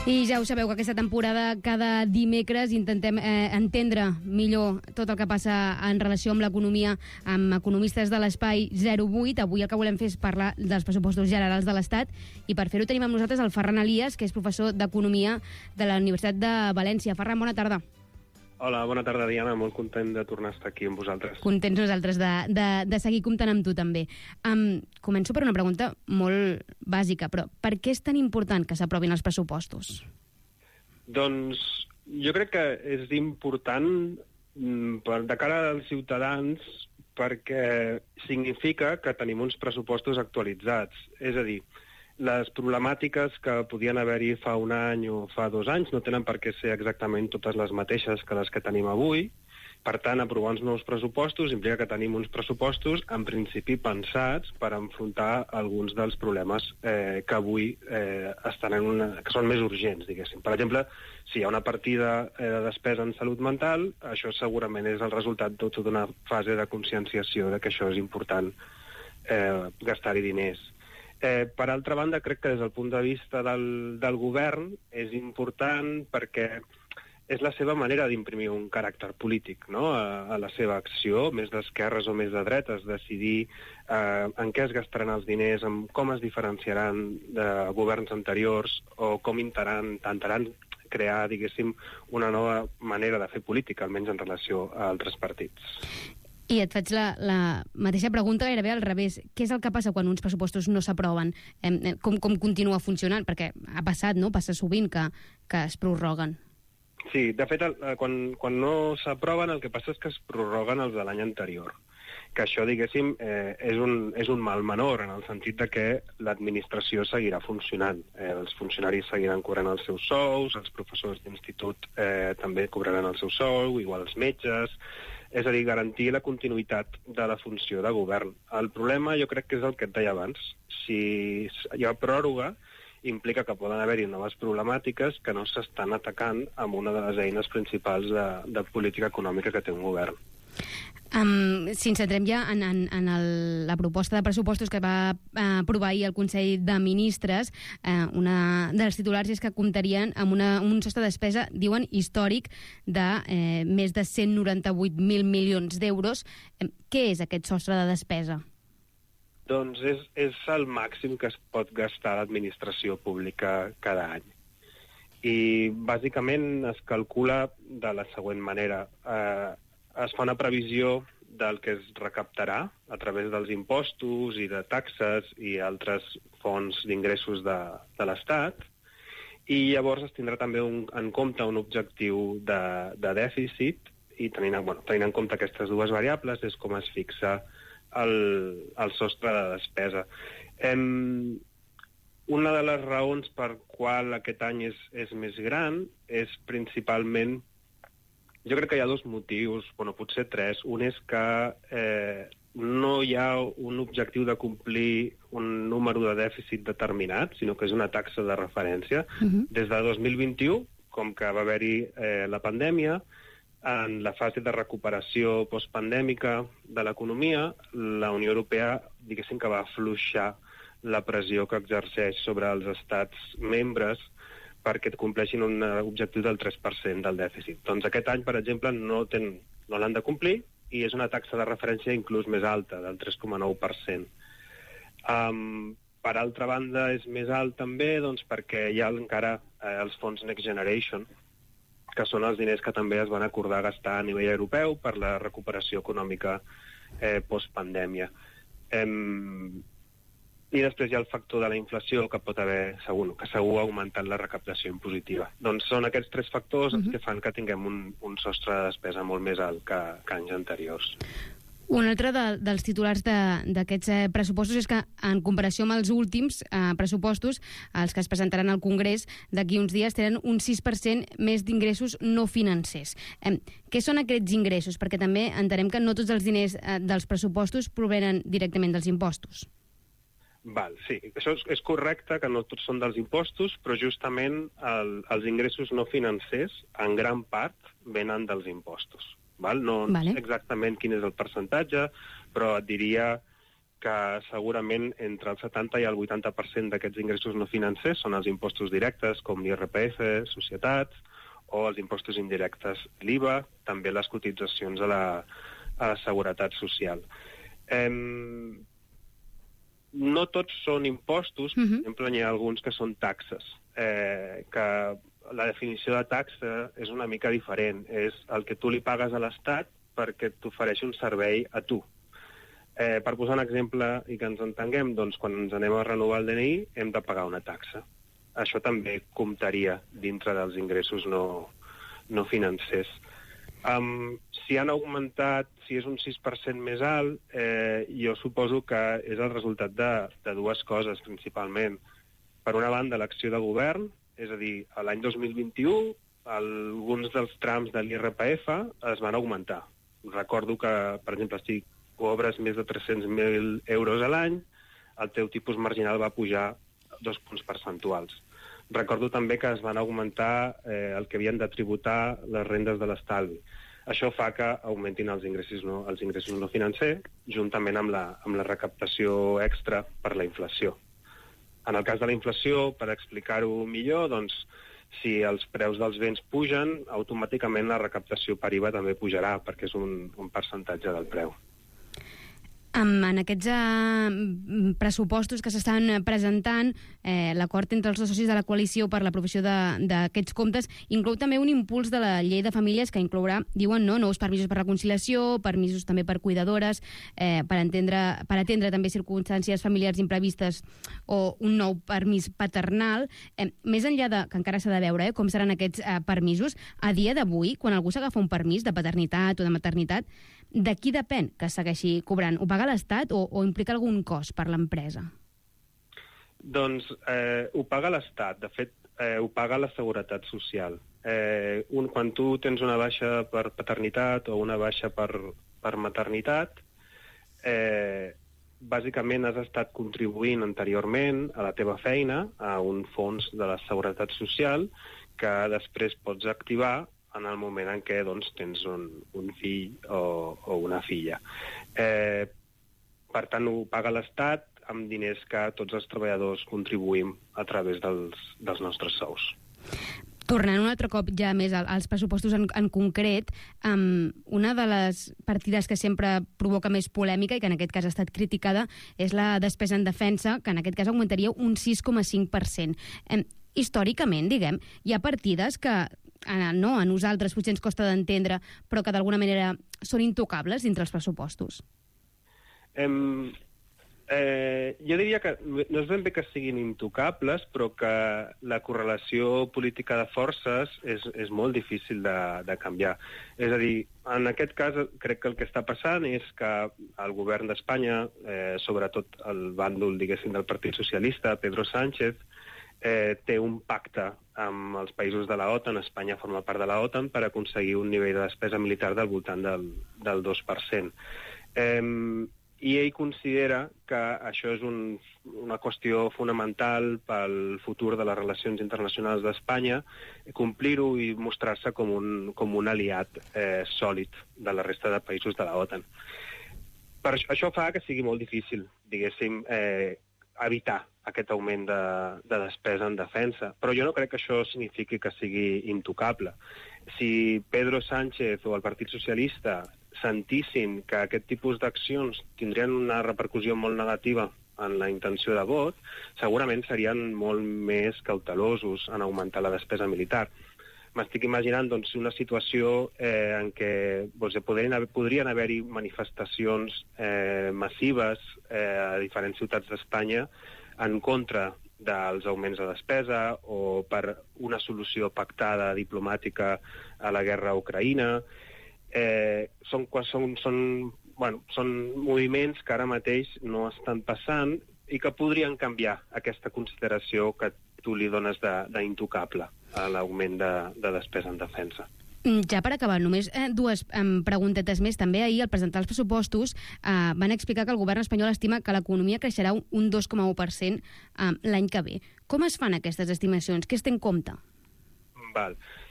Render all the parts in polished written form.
I ja ho sabeu, que aquesta temporada cada dimecres intentem entendre millor tot el que passa en relació amb l'economia amb economistes de l'Espai 08. Avui el que volem fer és parlar dels pressupostos generals de l'Estat i per fer-ho tenim amb nosaltres el Ferran Elias, que és professor d'Economia de la Universitat de València. Ferran, bona tarda. Hola, bona tarda, Diana. Molt content de tornar a estar aquí amb vosaltres. Contents nosaltres de seguir comptant amb tu, també. Començo per una pregunta molt bàsica, però per què és tan important que s'aprovin els pressupostos? Doncs jo crec que és important de cara als ciutadans perquè significa que tenim uns pressupostos actualitzats. És a dir, les problemàtiques que podien haver-hi fa un any o fa 2 anys no tenen per què ser exactament totes les mateixes que les que tenim avui. Per tant, aprovar uns nous pressupostos implica que tenim uns pressupostos, en principi, pensats per enfrontar alguns dels problemes que avui estan que són més urgents, diguéssim. Per exemple, si hi ha una partida de despesa en salut mental, això segurament és el resultat de tota una fase de conscienciació de que això és important gastar-hi diners. Per altra banda, crec que des del punt de vista del govern és important perquè és la seva manera d'imprimir un caràcter polític, no?, a la seva acció, més d'esquerres o més de dretes, decidir en què es gastaran els diners, com es diferenciaran de governs anteriors o com intentaran crear, diguéssim, una nova manera de fer política, almenys en relació a altres partits. I et faig la mateixa pregunta gairebé al revés. Què és el que passa quan uns pressupostos no s'aproven? Com continua funcionant? Perquè ha passat, no? Passa sovint que es prorroguen. Sí, de fet, quan no s'aproven el que passa és que es prorroguen els de l'any anterior. Que això, diguéssim, és un mal menor, en el sentit de que l'administració seguirà funcionant. Els funcionaris seguiran cobrant els seus sous, els professors d'institut també cobraran el seu sou, igual els metges. És a dir, garantir la continuïtat de la funció de govern. El problema jo crec que és el que et deia abans. Si hi ha pròrroga, implica que poden haver-hi noves problemàtiques que no s'estan atacant amb una de les eines principals de política econòmica que té un govern. Si ens centrem ja en la proposta de pressupostos que va aprovar ahir el Consell de Ministres, una dels titulars és que comptarien amb un sostre de despesa, diuen, històric de més de 198.000 milions d'euros. Què és aquest sostre de despesa? Doncs és el màxim que es pot gastar l'administració pública cada any. I bàsicament es calcula de la següent manera. Es fa una previsió del que es recaptarà a través dels impostos i de taxes i altres fonts d'ingressos de l'Estat, i llavors es tindrà també en compte un objectiu de dèficit, i tenint en compte aquestes dues variables és com es fixa el sostre de despesa. Una de les raons per qual aquest any és més gran és principalment, jo crec que hi ha 2 motius, potser 3. Un és que no hi ha un objectiu de complir un número de dèficit determinat, sinó que és una taxa de referència. Des de 2021, com que va haver-hi la pandèmia, en la fase de recuperació postpandèmica de l'economia, la Unió Europea, diguéssim que va afluixar la pressió que exerceix sobre els estats membres perquè compleixin un objectiu del 3% del dèficit. Doncs aquest any, per exemple, no l'han de complir i és una taxa de referència inclús més alta, del 3,9%. Per altra banda, és més alt també perquè hi ha encara els fons Next Generation, que són els diners que també es van acordar gastar a nivell europeu per la recuperació econòmica postpandèmia. I després hi ha el factor de la inflació que pot haver, que segur ha augmentat la recaptació impositiva. Doncs són aquests 3 factors els que fan que tinguem un sostre de despesa molt més alt que anys anteriors. Un altre dels titulars d'aquests pressupostos és que, en comparació amb els últims pressupostos, els que es presentaran al Congrés d'aquí uns dies, tenen un 6% més d'ingressos no financers. Què són aquests ingressos? Perquè també entenem que no tots els diners dels pressupostos provenen directament dels impostos. Sí, això és correcte, que no tots són dels impostos, però justament els ingressos no financers, en gran part, venen dels impostos. No sé exactament quin és el percentatge, però et diria que que segurament entre el 70 i el 80% d'aquests ingressos no financers són els impostos directes, com l'IRPF, societats, o els impostos indirectes, l'IVA, també les cotitzacions a la seguretat social. No tots són impostos, per exemple, n'hi ha alguns que són taxes, que la definició de taxa és una mica diferent. És el que tu li pagues a l'Estat perquè t'ofereixi un servei a tu. Per posar un exemple i que ens entenguem, doncs quan ens anem a renovar el DNI hem de pagar una taxa. Això també comptaria dintre dels ingressos no financers. Si han augmentat, si és un 6% més alt, jo suposo que és el resultat de dues coses, principalment. Per una banda, l'acció de govern, és a dir, l'any 2021, alguns dels trams de l'IRPF es van augmentar. Recordo que, per exemple, si cobres més de 300.000 euros a l'any, el teu tipus marginal va pujar 2 punts percentuals. Recordo també que es van augmentar el que havien de tributar les rendes de l'estalvi. Això fa que augmentin els ingressos no financers, juntament amb la recaptació extra per la inflació. En el cas de la inflació, per explicar-ho millor, doncs, si els preus dels béns pugen, automàticament la recaptació per IVA també pujarà, perquè és un percentatge del preu. En aquests pressupostos que s'estan presentant, l'acord entre els dos socis de la coalició per l'aprovació d'aquests comptes inclou també un impuls de la llei de famílies que inclourà, diuen, nous permisos per la conciliació, permisos també per cuidadores, per atendre també circumstàncies familiars imprevistes o un nou permís paternal. Més enllà que encara s'ha de veure com seran aquests permisos, a dia d'avui, quan algú s'agafa un permís de paternitat o de maternitat, de qui depèn que segueixi cobrant? Ho paga l'Estat o implica algun cost per l'empresa? Doncs ho paga l'Estat. De fet, ho paga la Seguretat Social. Quan tu tens una baixa per paternitat o una baixa per maternitat, bàsicament has estat contribuint anteriorment a la teva feina a un fons de la Seguretat Social que després pots activar en el moment en què tens un fill o una filla. Per tant, ho paga l'Estat amb diners que tots els treballadors contribuïm a través dels nostres sous. Tornant un altre cop ja més als pressupostos en concret, una de les partides que sempre provoca més polèmica i que en aquest cas ha estat criticada és la despesa en defensa, que en aquest cas augmentaria un 6,5%. Històricament, diguem, hi ha partides que a nosaltres potser ens costa d'entendre, però que d'alguna manera són intocables dintre els pressupostos. Jo diria que no és ben bé que siguin intocables, però que la correlació política de forces és molt difícil de canviar. És a dir, en aquest cas crec que el que està passant és que el govern d'Espanya, sobretot el bàndol, diguéssim, del Partit Socialista, Pedro Sánchez, té un pacte amb els països de la OTAN, Espanya forma part de la OTAN, per aconseguir un nivell de despesa militar del voltant del 2%. I ell considera que això és una qüestió fonamental pel futur de les relacions internacionals d'Espanya, complir-ho i mostrar-se com un aliat sòlid de la resta de països de la OTAN. Això fa que sigui molt difícil, diguéssim, evitar aquest augment de despesa en defensa. Però jo no crec que això signifiqui que sigui intocable. Si Pedro Sánchez o el Partit Socialista sentissin que aquest tipus d'accions tindrien una repercussió molt negativa en la intenció de vot, segurament serien molt més cautelosos en augmentar la despesa militar. M'estic imaginant una situació en què podrien haver-hi manifestacions massives a diferents ciutats d'Espanya en contra dels augments de despesa o per una solució pactada diplomàtica a la guerra a Ucraïna. Són moviments que ara mateix no estan passant i que podrien canviar aquesta consideració que tu li dones d'intocable a l'augment de despesa en defensa. Ja per acabar, només dues preguntetes més. També ahir, al presentar els pressupostos, van explicar que el govern espanyol estima que l'economia creixerà un 2,1% l'any que ve. Com es fan aquestes estimacions? Què es té en compte?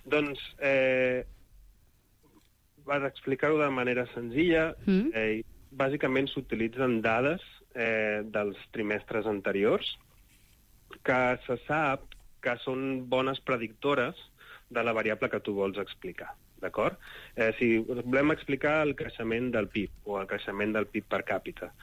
Doncs, per explicar-ho de manera senzilla, bàsicament s'utilitzen dades dels trimestres anteriors, que se sap que són bones predictores de la variable que tu vols explicar, d'acord? Si volem explicar el creixement del PIB o el creixement del PIB per càpita,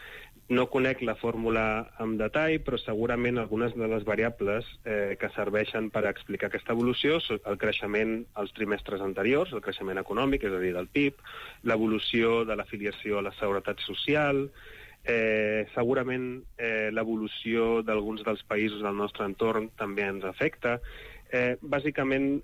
no conec la fórmula en detall, però segurament algunes de les variables que serveixen per explicar aquesta evolució són el creixement als trimestres anteriors, el creixement econòmic, és a dir, del PIB, l'evolució de l'afiliació a la seguretat social, segurament l'evolució d'alguns dels països del nostre entorn també ens afecta. Bàsicament,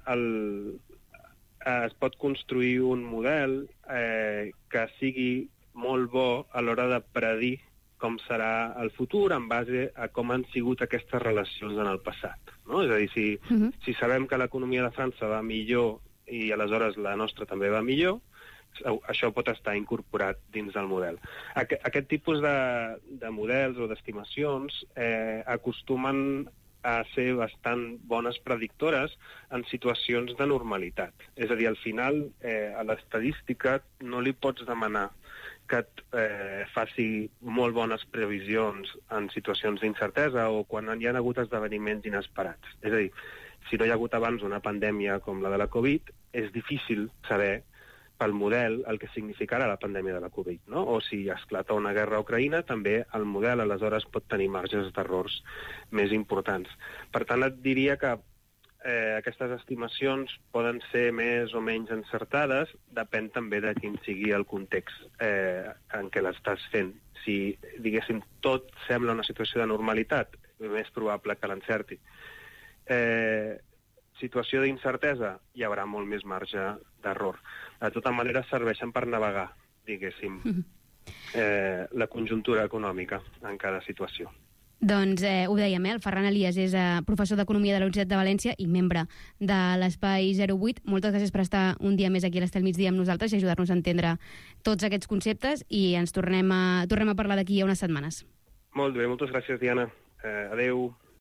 es pot construir un model que sigui molt bo a l'hora de predir com serà el futur en base a com han sigut aquestes relacions en el passat. No? És a dir, si sabem que l'economia de França va millor i aleshores la nostra també va millor, això pot estar incorporat dins del model. Aquest tipus de models o d'estimacions acostumen a ser bastant bones predictores en situacions de normalitat. És a dir, al final, a l'estadística no li pots demanar que et faci molt bones previsions en situacions d'incertesa o quan hi ha hagut esdeveniments inesperats. És a dir, si no hi ha hagut abans una pandèmia com la de la Covid, és difícil saber pel model el que significarà la pandèmia de la Covid, no? O si esclata una guerra a Ucraïna, també el model aleshores pot tenir marges d'errors més importants. Per tant, et diria que aquestes estimacions poden ser més o menys encertades, depèn també de quin sigui el context en què l'estàs fent. Si, diguéssim, tot sembla una situació de normalitat, és més probable que l'encerti. Situació d'incertesa, hi haurà molt més marge d'error. De tota manera, serveixen per navegar, diguéssim, la conjuntura econòmica en cada situació. Doncs ho dèiem, el Ferran Elias és professor d'Economia de la Universitat de València i membre de l'Espai 08. Moltes gràcies per estar un dia més aquí a l'Estel Migdia amb nosaltres i ajudar-nos a entendre tots aquests conceptes i ens tornem a parlar d'aquí a unes setmanes. Molt bé, moltes gràcies, Diana. Adéu.